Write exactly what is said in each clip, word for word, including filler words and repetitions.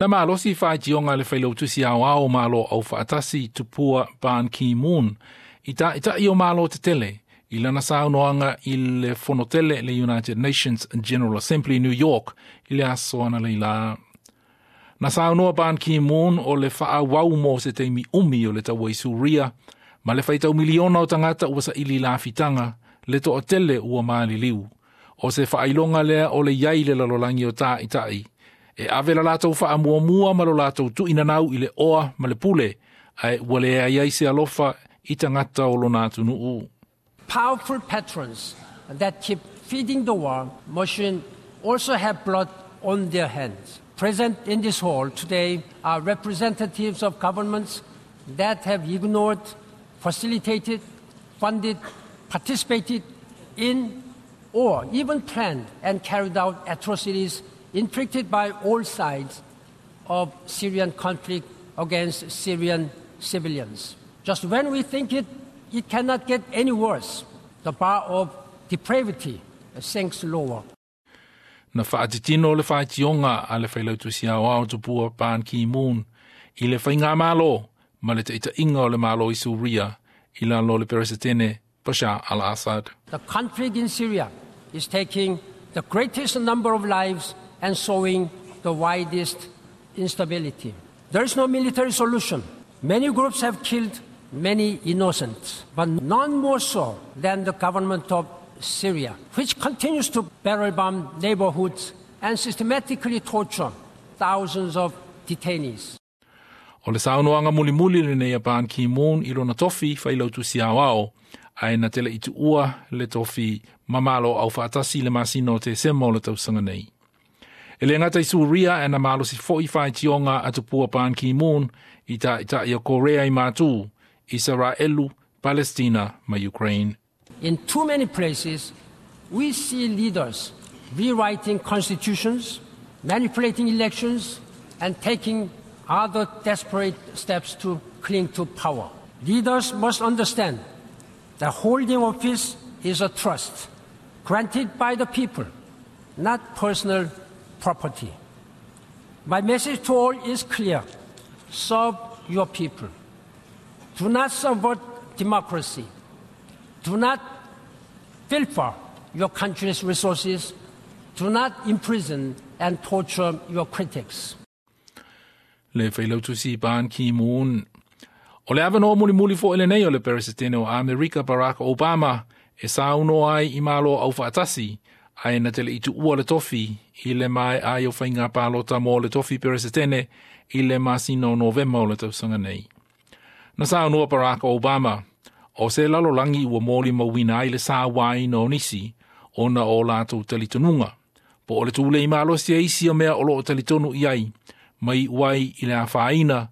Na malosi faitioga a le failautusi aoao o Malo Aufaatasi Tupua Ban Ki-moon i taʻitaʻi o Malo tetele i lana saunoaga i le fonotele le United Nations General Assembly New York i le aso analeila. Na saunoa Ban Ki-moon o le faaauau mo se taimi umi o le taua i Suria ma le faitau miliona o tagata ua saili lafitaga le toatele ua maliliu. O se faailoga lea o le iai le lalolagi o taʻitaʻi e ave la latou faamuamua ma lo latou tuuinanau i le oa ma le pule ae ua leai ai se alofa i tagata o lona atunuu. Powerful patrons that keep feeding the war machine also have blood on their hands. Present in this hall today are representatives of governments that have ignored, facilitated, funded, participated in, or even planned and carried out atrocities inflicted by all sides of Syrian conflict against Syrian civilians. Just when we think it, it cannot get any worse, the bar of depravity sinks lower. Na faatitino le faitioga a le failautusi aoao Tupua Ban Ki-moon i le faigamalo ma le taʻitaʻiga o le Malo i Suria i lalo o le Peresetene Bashar al-Assad. The conflict in Syria is taking the greatest number of lives and sowing the widest instability. There is no military solution. Many groups have killed many innocents, but none more so than the government of Syria, which continues to barrel bomb neighborhoods and systematically torture thousands of detainees. O le saunoaga mulimuli lenei a Ban Ki-moon i lona tofi failautusi aoao ae na te leʻi tuua le tofi ma Malo Aufaatasi le masina o Tesema o le tausaga nei. E le gata i Suria e na malosi foʻi faitioga a Tupua Ban Ki-moon i taʻitaʻi o Korea i Matū, Isaraelu, Palestina ma Ukraine. In too many places, we see leaders rewriting constitutions, manipulating elections, and taking other desperate steps to cling to power. Leaders must understand that holding office is a trust granted by the people, not personal property. My message to all is clear serve your people. Do not subvert democracy. Do not pilfer your country's resources. Do not imprison and torture your critics. Le failautusi Ban Ki-moon. O le avanoa mulimuli foʻi lenei o le Peresetene o Amerika Barack Obama e saunoa ai i Malo Aufaatasi ae na te leʻi tuua le tofi i le maea ai o faiga palota mo le tofi Peresetene i le masina o Novema o le tausaga nei. Na saunoa Barack Obama o se lalolagi ua molimauina ai le sauaina o nisi ona o latou talitonuga. Po o le tulei malosi e isi o mea o loo talitonu i ai, mai uai i le afaina,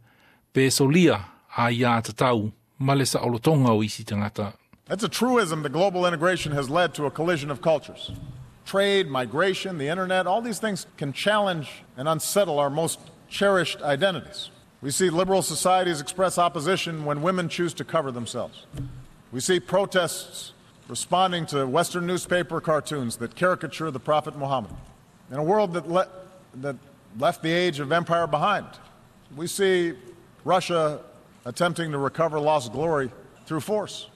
pe solia aiā tatau ma le saolotoga o isi tagata. It's a truism that global integration has led to a collision of cultures. Trade, migration, the internet, all these things can challenge and unsettle our most cherished identities. We see liberal societies express opposition when women choose to cover themselves. We see protests responding to Western newspaper cartoons that caricature the Prophet Muhammad. In a world that, le- that left the age of empire behind, we see Russia attempting to recover lost glory through force.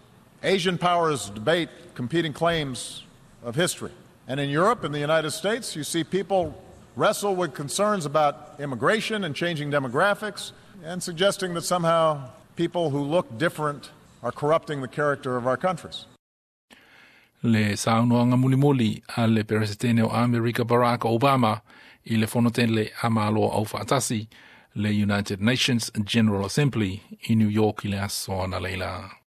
Asian powers debate competing claims of history. And in Europe and the United States, you see people wrestle with concerns about immigration and changing demographics and suggesting that somehow people who look different are corrupting the character of our countries. Le saunoaga mulimuli a le Peresetene o Amerika Barack Obama i le fonotele a Malo Aufaatasi le United Nations General Assembly i New York i le aso analeila.